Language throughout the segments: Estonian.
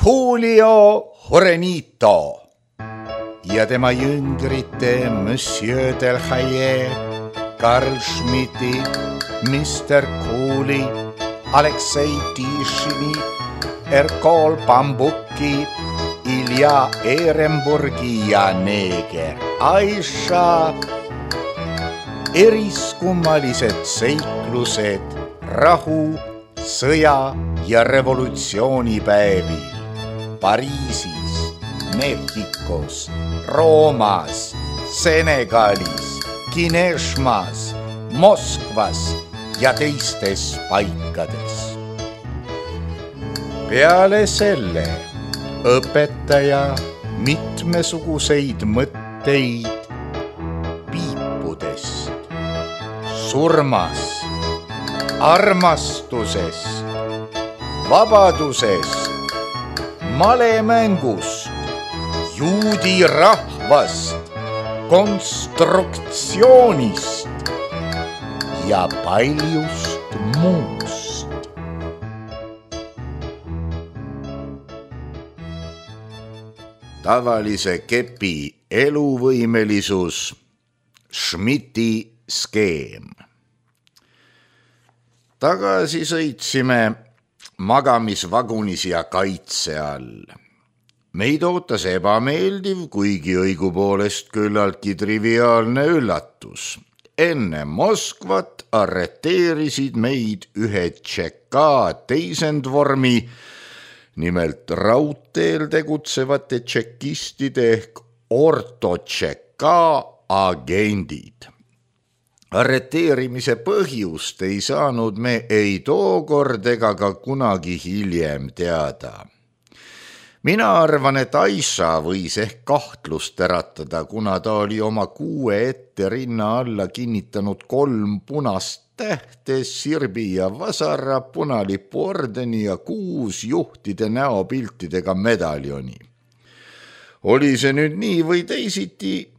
Julio Jurenito ja tema jüngrite Monsieur Delhaye, Karl Schmidti, Mr. Cooley, Aleksei Tišini, Erkol Bambuki, Ilja Ehrenburgi ja neeger Aisha. Eriskummalised seiklused rahu, sõja ja revolutsioonipäevil Pariisis, Mehhikos, Roomas, Senegalis, Kineshmas, Moskvas ja teistes paikades. Peale selle õpetaja mitmesuguseid mõtteid piipudest, surmast, armastusest, vabadusest, malemängust, juudi rahvast, konstruktsioonist ja paljust muust. Tavalise kepi eluvõimelisus, Schmidti skeem. Tagasi sõitsime magamisvagunis ja kaitse all. Meid ootas ebameeldiv, kuigi õigupoolest küllaltki triviaalne üllatus. Enne Moskvat arreteerisid meid ühe tšeka teisendvormi, nimelt raudteel tegutsevate tšekistide ehk ortotšeka agendid. Arreteerimise põhjust ei saanud me ei tookord ega ka kunagi hiljem teada. Mina arvan, et Aisha võis ehk kahtlust äratada, kuna ta oli oma 6 ette rinna alla kinnitanud 3 punast tähte, sirbi ja vasara, punalipu ordeni ja 6 juhtide näopiltidega medaljoni. Oli see nüüd nii või teisiti,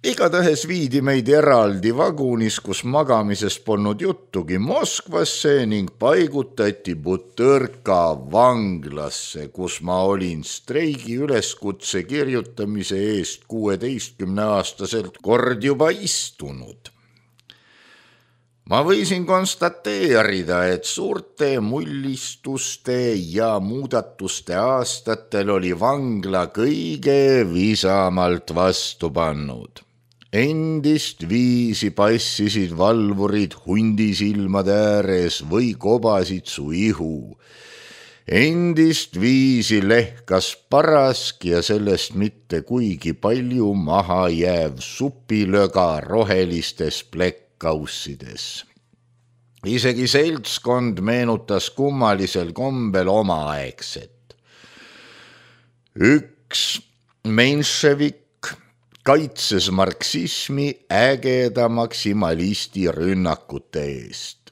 igatahes viidi meid eraldi vagunis, kus magamisest polnud juttugi, Moskvasse ning paigutati Butõrka vanglasse, kus ma olin streigi üleskutse kirjutamise eest 16-aastaselt kord juba istunud. Ma võisin konstateerida, et suurte mullistuste ja muudatuste aastatel oli vangla kõige visamalt vastu pannud. Endist viisi passisid valvurid hundisilmade ääres või kobasid su ihu. Endist viisi lehkas parask ja sellest mitte kuigi palju maha jääv supilöga rohelistes plekk-kaussides. Isegi seltskond meenutas kummalisel kombel omaaegset. Üks menševik kaitses marksismi ägeda maksimalisti rünnakute eest.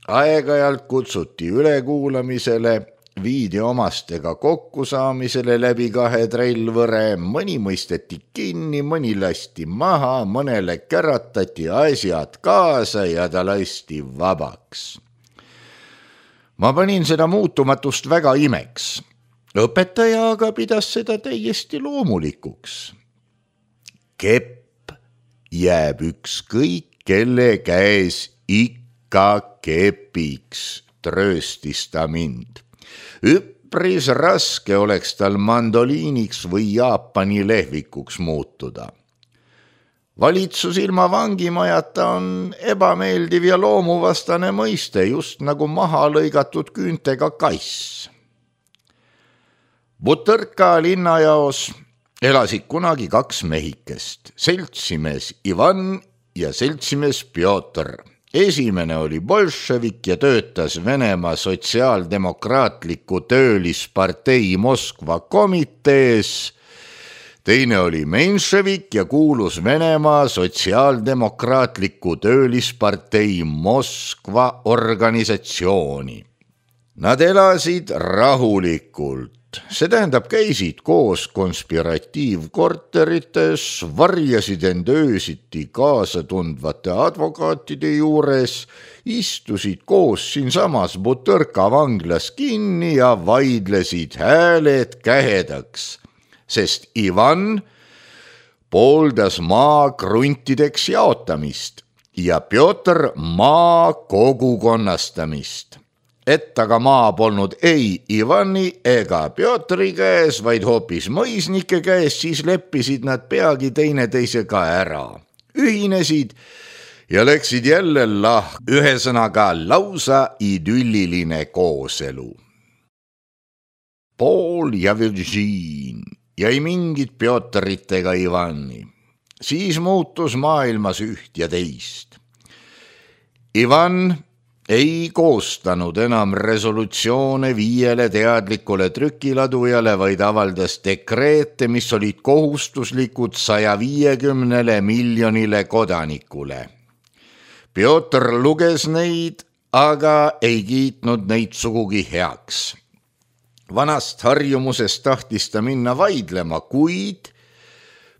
Aeg-ajalt kutsuti ülekuulamisele, viidi omastega kokkusaamisele läbi 2 trellvõre, mõni mõisteti kinni, mõni lasti maha, mõnele käratati asjad kaasa ja ta lasti vabaks. Ma panin seda muutumatust väga imeks. Õpetaja aga pidas seda täiesti loomulikuks. Kepp jääb ükskõik kelle käes ikka kepiks, trööstis ta mind. Üpris raske oleks tal mandoliiniks või Jaapani lehvikuks muutuda. Valitsus ilma vangimajata on ebameeldiv ja loomuvastane mõiste, just nagu maha lõigatud küüntega kass. Butõrka linnajaos elasid kunagi 2 mehikest, seltsimees Ivan ja seltsimees Pjotr. Esimene oli bolševik ja töötas Venemaa sotsiaaldemokraatliku töölispartei Moskva komitees. Teine oli menševik ja kuulus Venemaa sotsiaaldemokraatliku töölispartei Moskva organisatsiooni. Nad elasid rahulikult, see tähendab, käisid koos konspiratiivkorterites, varjasid end öösiti kaasa tundvate advokaatide juures, istusid koos siinsamas Butõrka vanglas kinni ja vaidlesid hääled kähedaks, sest Ivan pooldas maa kruntideks jaotamist ja Pjotr maa kogukonnastamist. Et aga maa polnud ei Ivani ega Pjotri käes, vaid hoopis mõisnike käes, siis leppisid nad peagi teineteisega ära. Ühinesid ja läksid jälle ühesõnaga lausa idülliline kooselu. Paul ja Virgin ja ei mingit Pjotrit ega Ivani. Siis muutus maailmas üht ja teist. Ivan ei koostanud enam resolutsioone 5 teadlikule trükiladujale, vaid avaldas dekreete, mis olid kohustuslikud 150 miljonile kodanikule. Pjotr luges neid, aga ei kiitnud neid sugugi heaks. Vanast harjumusest tahtis ta minna vaidlema, kuid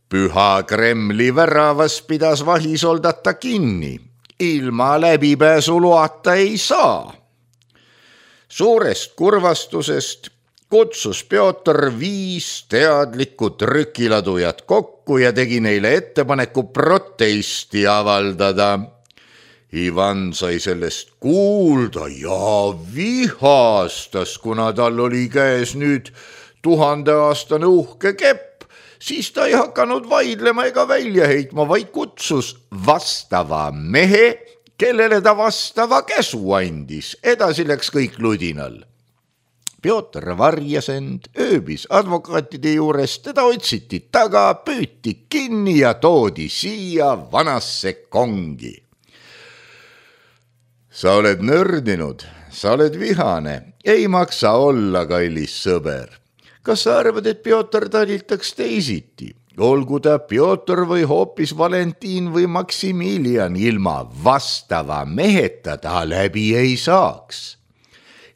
Püha Kremli väravas pidas vahisoldata kinni. Ilma läbipääsuluata ei saa. Suurest kurvastusest kutsus Pjotr 5 teadlikku trükiladujat kokku ja tegi neile ettepaneku protesti avaldada. Ivan sai sellest kuulda ja vihastas, kuna tal oli käes nüüd 1000-aastane uhke kepp. Siis ta ei hakanud vaidlema ega välja heitma, vaid kutsus vastava mehe, kellele ta vastava käsu andis. Edasi läks kõik ludinal. Pjotr varjas end, ööbis advokaatide juures, teda otsiti taga, püüti kinni ja toodi siia vanasse kongi. Sa oled nördinud, sa oled vihane, ei maksa olla, kallis sõber. Kas sa arvad, et Pjotr talitaks teisiti? Olgu ta Pjotr või hoopis Valentin või Maksimilian, ilma vastava meheta ta läbi ei saaks.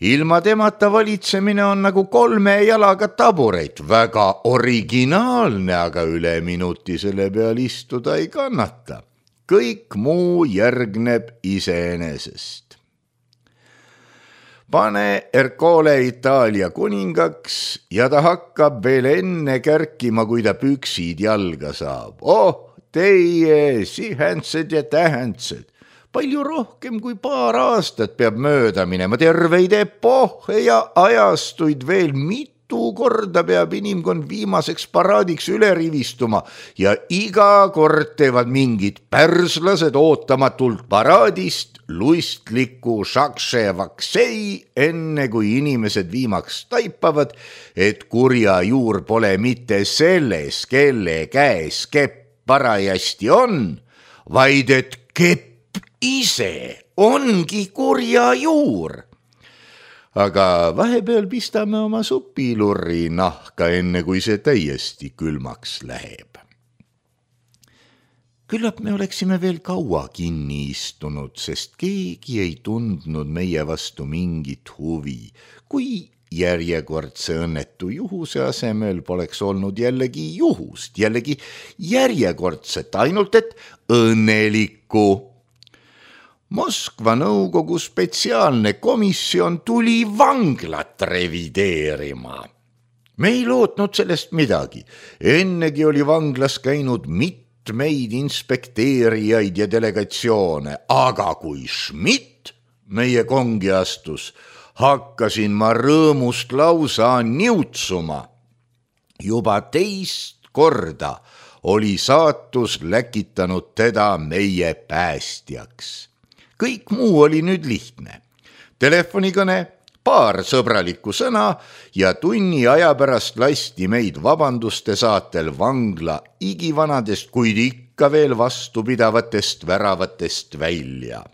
Ilma temata valitsemine on nagu 3 jalaga tabureit, väga originaalne, aga üle minuti selle peal istuda ei kannata. Kõik muu järgneb iseenesest. Pane Ercole Itaalia kuningaks ja ta hakkab veel enne kärkima, kui ta püksid jalga saab. Oh, teie sihändsed ja tähendsed. Palju rohkem kui paar aastat peab mööda minema, terveid epohhe ja ajastuid veel mitu korda peab inimkond viimaseks paraadiks üle rivistuma ja iga kord teevad mingid pärslased ootamatult paraadist luistliku šakševaksei, enne kui inimesed viimaks taipavad, et kurja juur pole mitte selles, kelle käes kepp parajasti on, vaid et kepp ise ongi kurja juur. Aga vahepeal pistame oma supilurri nahka, enne kui see täiesti külmaks läheb. Küllap me oleksime veel kaua kinni istunud, sest keegi ei tundnud meie vastu mingit huvi, kui järjekordse õnnetu juhuse asemel poleks olnud jällegi juhust, jällegi järjekordset, ainult et õnnelikku. Moskva nõukogu spetsiaalne komisjon tuli vanglat revideerima. Me ei lootnud sellest midagi. Ennegi oli vanglas käinud mitmeid inspekteerijaid ja delegatsioone, aga kui Schmidt meie kongi astus, hakkasin ma rõõmust lausa niutsuma. Juba teist korda oli saatus läkitanud teda meie päästjaks. Kõik muu oli nüüd lihtne. Telefonikõne, paar sõbralikku sõna ja tunni aja pärast lasti meid vabanduste saatel vangla igivanadest, kuid ikka veel vastupidavatest väravatest välja.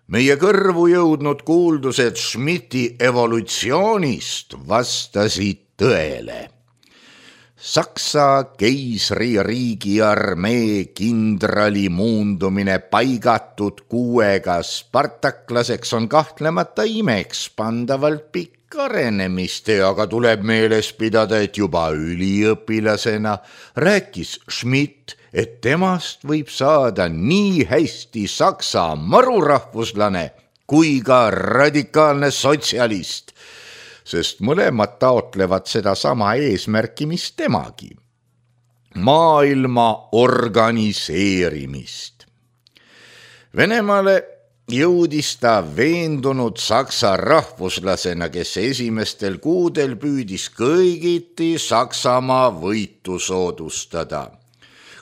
Meie kõrvu jõudnud kuuldused Schmidti evolutsioonist vastasid tõele. Saksa keisririigi armee kindrali muundumine paigatud kuuega spartaklaseks on kahtlemata imeks pandavalt pikk. arenemist, aga tuleb meeles pidada, et juba üliõpilasena rääkis Schmidt, et temast võib saada nii hästi saksa marurahvuslane kui ka radikaalne sotsialist, sest mõlemad taotlevad sedasama eesmärki, mis temagi. Maailma organiseerimist. Venemaale jõudis ta veendunud saksa rahvuslasena, kes esimestel kuudel püüdis kõigiti Saksamaa võitu soodustada.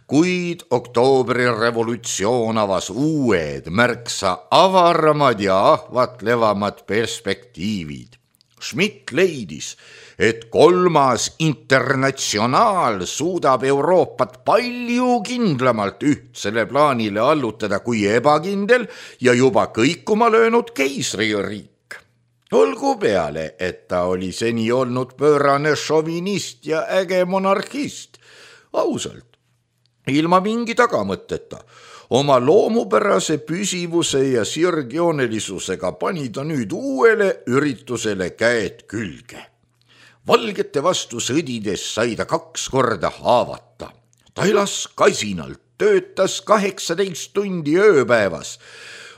Kuid oktoobrirevolutsioon avas uued, märksa avaramad ja ahvatlevamad perspektiivid. Schmidt leidis, et kolmas internatsionaal suudab Euroopat palju kindlamalt ühtsele plaanile allutada kui ebakindel ja juba kõikuma löönud keisririik. Olgu peale, et ta oli seni olnud pöörane šovinist ja äge monarhist. Ausalt, ilma mingi tagamõtteta. Oma loomupärase püsivuse ja sirgjoonelisusega pani ta nüüd uuele üritusele käed külge. Valgete vastu sõdides sai ta 2 korda haavata. Ta elas kasinalt, töötas 18 tundi ööpäevas,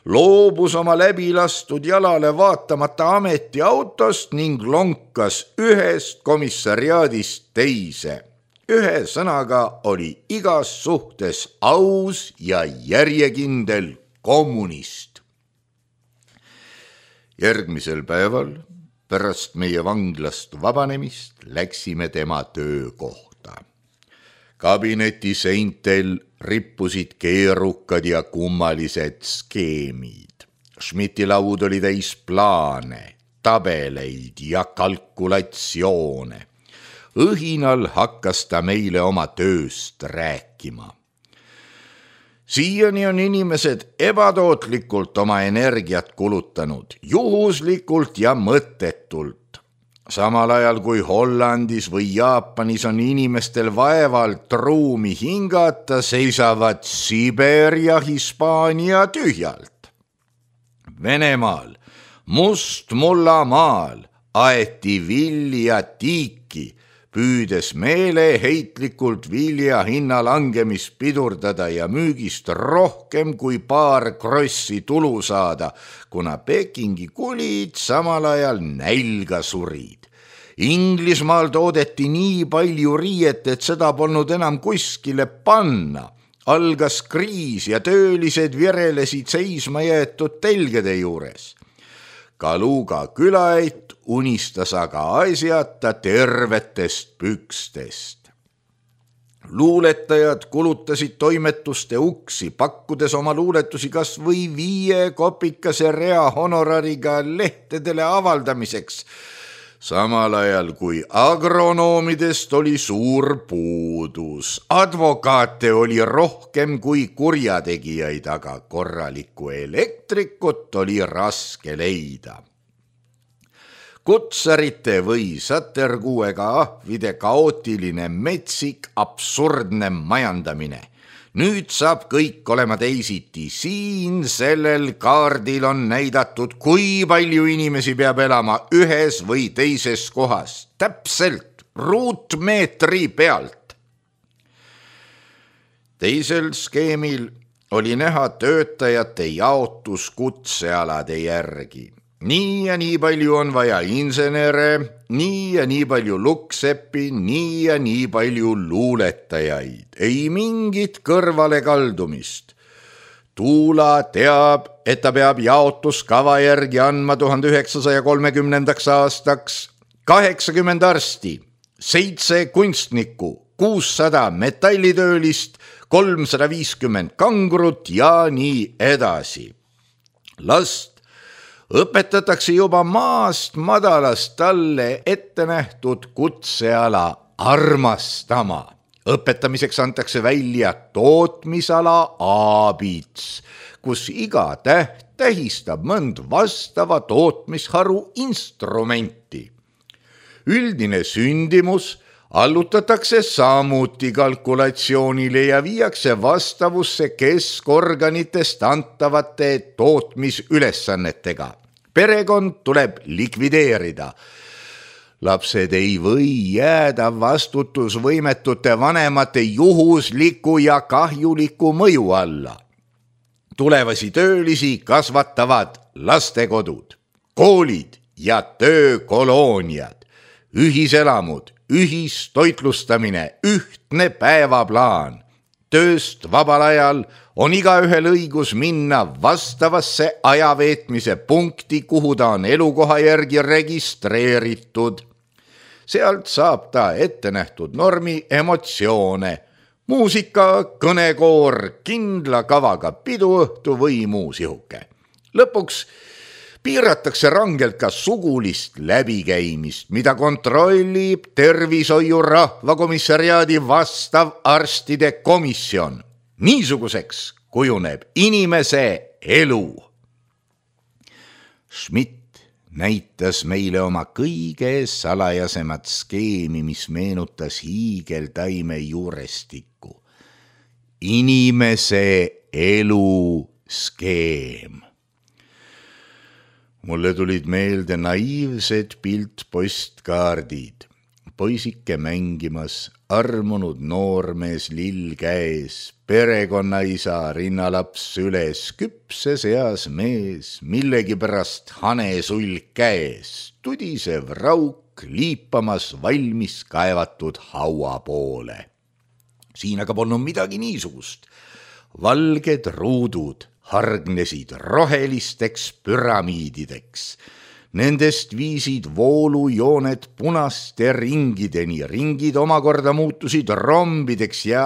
loobus oma läbilastud jalale vaatamata ametiautost ning lonkas ühest komissariaadist teise. Ühesõnaga oli igas suhtes aus ja järjekindel kommunist. Järgmisel päeval pärast meie vanglast vabanemist läksime tema töökohta. Kabineti seintel rippusid keerukad ja kummalised skeemid. Schmidti laud oli täis plaane, tabeleid ja kalkulatsioone. Õhinal hakkas ta meile oma tööst rääkima. Siiani on inimesed ebatootlikult oma energiat kulutanud, juhuslikult ja mõttetult. Samal ajal kui Hollandis või Jaapanis on inimestel vaevalt ruumi hingata, seisavad Siber ja Hispaania tühjalt. Venemaal, Mustmullamaal aeti vilja tiiki, püüdes meeleheitlikult vilja hinna langemist pidurdada ja müügist rohkem kui paar krossi tulu saada, kuna Pekingi kulid samal ajal nälga surid. Inglismaal toodeti nii palju riiet, et seda polnud enam kuskile panna. Algas kriis ja töölised virelesid seisma jäetud telgede juures. Kaluga külaeit unistas aga asjata tervetest pükstest. Luuletajad kulutasid toimetuste uksi, pakkudes oma luuletusi kas või 5 kopikase rea honorariga lehtedele avaldamiseks, samal ajal kui agronoomidest oli suur puudus. Advokaate oli rohkem kui kurjategijaid, aga korralikku elektrikut oli raske leida. Kutsarite või saterkuuega ahvide kaootiline metsik absurdne majandamine. Nüüd saab kõik olema teisiti. Siin sellel kaardil on näidatud, kui palju inimesi peab elama ühes või teises kohas. Täpselt ruutmeetri pealt. Teisel skeemil oli näha töötajate jaotus kutsealade järgi. Nii ja nii palju on vaja insenere, nii ja nii palju lukkseppi, nii ja nii palju luuletajaid. Ei mingit kõrvale kaldumist. Tuula teab, et ta peab jaotuskava järgi andma 1930. aastaks 80 arsti, 7 kunstnikku, 600 metallitöölist, 350 kangrut ja nii edasi. Last õpetatakse juba maast madalast talle ette nähtud kutseala armastama. Õpetamiseks antakse välja tootmisala aabits, kus iga täht tähistab mõnd vastava tootmisharu instrumenti. Üldine sündimus allutatakse samuti kalkulatsioonile ja viiakse vastavusse keskorganitest antavate tootmisülesannetega. perekond tuleb likvideerida. Lapsed ei või jääda vastutusvõimetute vanemate juhusliku ja kahjuliku mõju alla. Tulevasi töölisi kasvatavad lastekodud, koolid ja töökolooniad, ühiselamud, ühistoitlustamine, ühtne päevaplaan. Tööst vabal ajal on igaühel õigus minna vastavasse ajaveetmise punkti, kuhu ta on elukoha järgi registreeritud. Sealt saab ta ette nähtud normi emotsioone, muusika, kõnekoor, kindla kavaga piduõhtu või muu sihuke. Lõpuks piiratakse rangelt ka sugulist läbikäimist, mida kontrollib tervishoiu rahvakomissariaadi vastav arstide komisjon. Niisuguseks kujuneb inimese elu. Schmidt näitas meile oma kõige salajasemat skeemi, mis meenutas hiigeltaime juurestikku. Inimese elu skeem. Mulle tulid meelde naiivsed piltpostkaardid. Poisike mängimas, armunud noormees lill käes, perekonnaisa rinnalaps üles, küpses eas mees, millegipärast hanesull käes, tudisev rauk liipamas valmis kaevatud haua poole. Siin aga polnud midagi niisugust. Valged ruudud hargnesid rohelisteks püramiidideks. Nendest viisid voolujooned punaste ringideni, ringid omakorda muutusid rombideks ja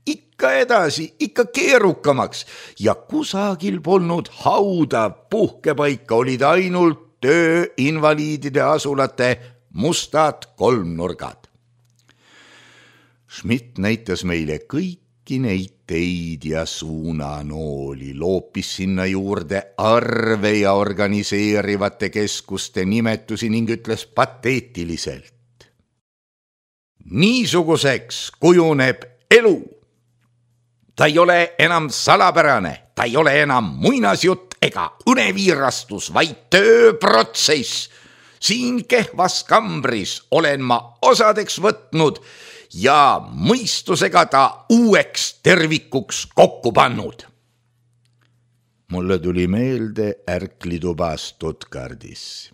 ikka edasi, ikka keerukamaks ja kusagil polnud hauda, puhkepaika olid ainult tööinvaliidide asulate mustad kolmnurgad. Schmidt näitas meile kõiki neid teid ja suunanooli, loopis sinna juurde arve ja organiseerivate keskuste nimetusi ning ütles pateetiliselt. Niisuguseks kujuneb elu. Ta ei ole enam salapärane, ta ei ole enam muinasjutt ega uneviirastus, vaid tööprotsess. Siin kehvas kambris olen ma osadeks võtnud ja mõistusega ta uueks tervikuks kokku pannud. Mulle tuli meelde ärklituba Stuttgardis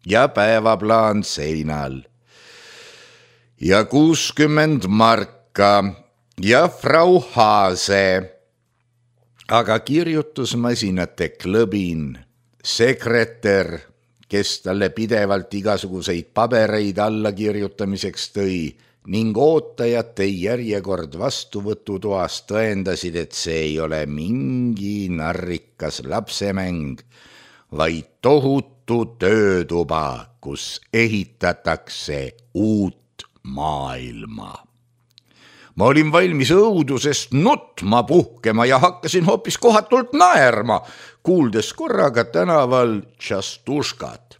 ja päevaplaan seinal ja 60 marka ja Frau Haase, aga kirjutusmasinate klõbin, sekretär, kes talle pidevalt igasuguseid pabereid alla kirjutamiseks tõi, ning ootajate järjekord vastuvõtutoas tõendasid, et see ei ole mingi narrikas lapsemäng, vaid tohutu töötuba, kus ehitatakse uut maailma. Ma olin valmis õudusest nutma puhkema ja hakkasin hoopis kohatult naerma, kuuldes korraga tänaval Tšastuškat.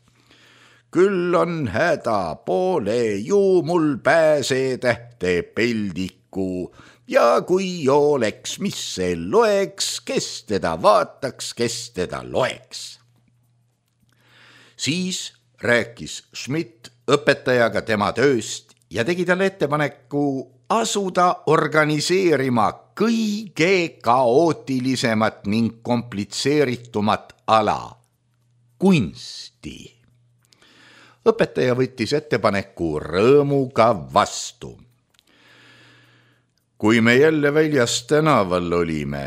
Küll on häda, pole ju mul pääsetähte peldiku ja kui oleks, mis see loeks, kes teda vaataks, kes teda loeks. Siis rääkis Schmidt õpetajaga tema tööst ja tegi talle ettepaneku asuda organiseerima kõige kaootilisemat ning komplitseeritumat ala, kunsti. Õpetaja võttis ettepaneku rõõmuga vastu. Kui me jälle väljas tänaval olime,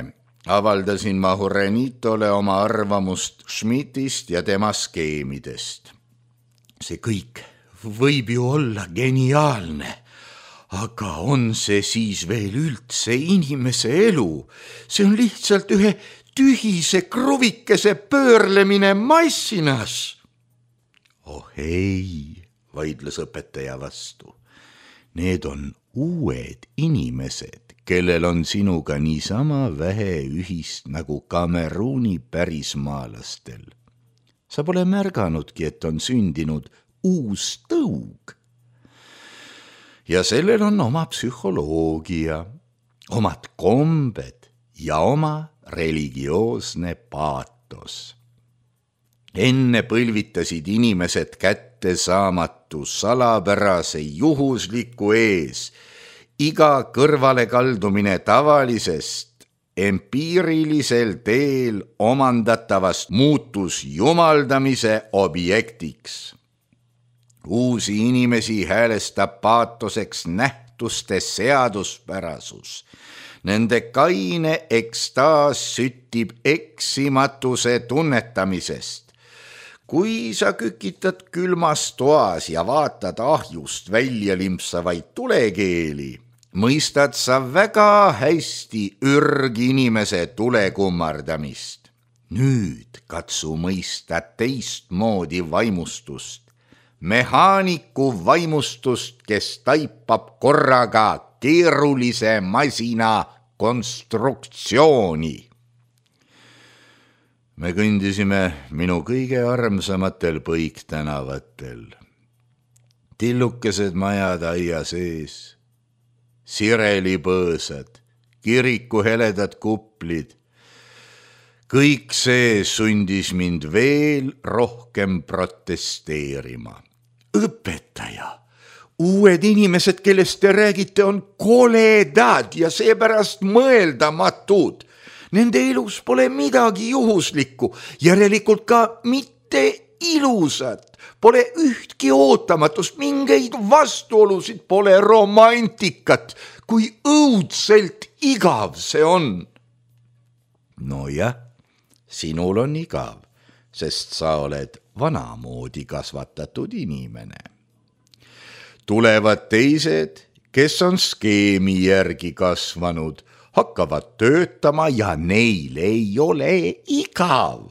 avaldasin ma Hurenitole oma arvamust Schmidtist ja tema skeemidest. See kõik võib ju olla geniaalne, aga on see siis veel üldse inimese elu? See on lihtsalt ühe tühise kruvikese pöörlemine massinas. Oh ei, vaidles õpetaja vastu. Need on uued inimesed, kellel on sinuga niisama vähe ühist nagu Kameruuni pärismaalastel. Sa pole märganudki, et on sündinud uus tõug. Ja sellel on oma psühholoogia, omad kombed ja oma religioosne paatos. Enne põlvitasid inimesed kättesaamatu salapärase juhusliku ees. Iga kõrvalekaldumine tavalisest empiirilisel teel omandatavast muutus jumaldamise objektiks. Uusi inimesi häälestab paatoseks nähtuste seaduspärasus. Nende kaine ekstaas süttib eksimatuse tunnetamisest. Kui sa kükitad külmas toas ja vaatad ahjust välja limpsavaid tulekeeli, mõistad sa väga hästi ürginimese tulekummardamist. Nüüd katsu mõista teistmoodi vaimustust, mehaaniku vaimustust, kes taipab korraga keerulise masina konstruktsiooni. Me kõndisime minu kõige armsamatel põiktänavatel. Tillukesed majad aia sees, sirelipõõsad, kiriku heledad kuplid. Kõik see sundis mind veel rohkem protesteerima. Õpetaja, uued inimesed, kellest te räägite, on koledad ja seepärast mõeldamatud. Nende elus pole midagi juhuslikku, järelikult ka mitte ilusat, pole ühtki ootamatust, mingeid vastuolusid, pole romantikat, kui õudselt igav see on. No jah, sinul on igav, sest sa oled vanamoodi kasvatatud inimene. Tulevad teised, kes on skeemi järgi kasvanud, hakkavad töötama ja neil ei ole igav.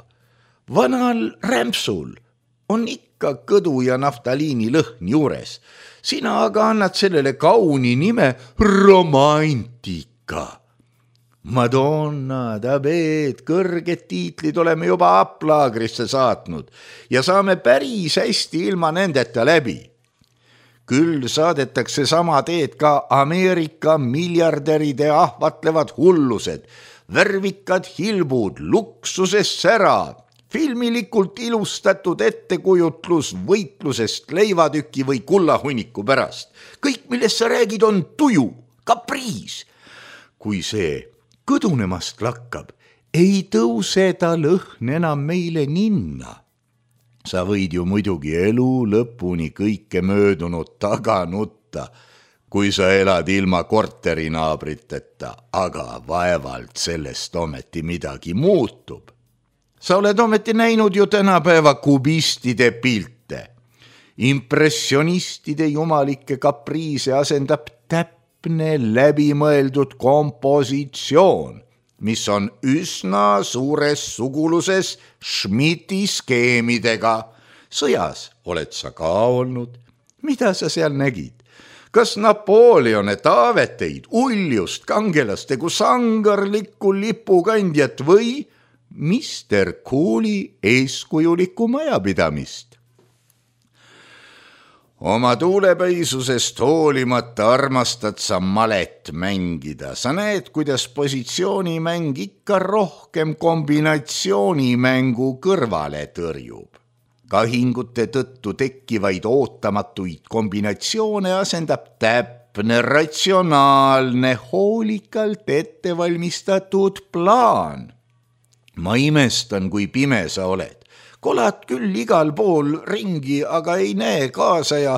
Vanal rämpsul on ikka kõdu ja naftaliini lõhn juures. Sina aga annad sellele kauni nime romantika. Madonna, Dabeed, kõrged tiitlid oleme juba aplaagrisse saatnud ja saame päris hästi ilma nendeta läbi. Küll saadetakse sama teed ka Ameerika miljardäride ahvatlevad hullused, värvikad hilbud, luksuses sära, filmilikult ilustatud ettekujutlus võitlusest leivatüki või kullahunniku pärast. Kõik, millest sa räägid, on tuju, kapriis. Kui see kõdunemast lakkab, ei tõuse ta lõhn enam meile ninna. Sa võid ju muidugi elu lõpuni kõike möödunud taga nutta, kui sa elad ilma korterinaabriteta, aga vaevalt sellest ometi midagi muutub. Sa oled ometi näinud ju tänapäeva kubistide pilte. Impressionistide jumalikke kapriise asendab täpne läbimõeldud kompositsioon, mis on üsna suures suguluses Schmidti skeemidega. Sõjas oled sa ka olnud. Mida sa seal nägid? Kas Napoleone taaveteid, uljust, kangelast egu sangarlikku lipukandjat või Mr. Cooli eeskujulikku majapidamist? Oma tuulepeisusest hoolimata armastad sa malet mängida. Sa näed, kuidas positsioonimäng ikka rohkem kombinatsioonimängu kõrvale tõrjub. Kahingute tõttu tekkivaid ootamatuid kombinatsioone asendab täpne, ratsionaalne, hoolikalt ettevalmistatud plaan. Ma imestan, kui pime sa oled. Kolad küll igal pool ringi, aga ei näe kaasa ja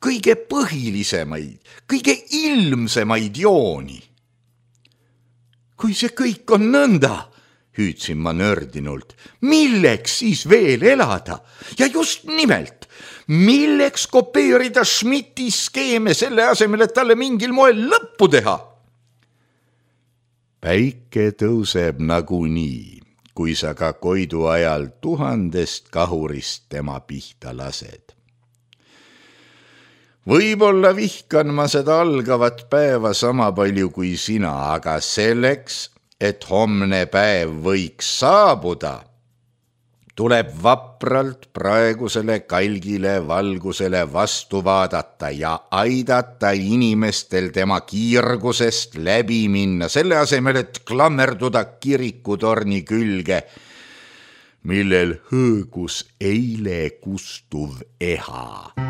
kõige põhilisemaid, kõige ilmsemaid jooni. Kui see kõik on nõnda, hüüdsin ma nördinult, milleks siis veel elada? Ja just nimelt, milleks kopeerida Schmidti skeeme selle asemel, et talle mingil moel lõppu teha? Päike tõuseb nagunii, kui sa ka koidu ajal 1000 kahurist tema pihta lased. Võib-olla vihkan ma seda algavat päeva sama palju kui sina, aga selleks, et homne päev võiks saabuda, tuleb vapralt praegusele kalgile valgusele vastu vaadata ja aidata inimestel tema kiirgusest läbi minna, selle asemel, et klammerduda kirikutorni külge millel hõõgus eile kustuv eha.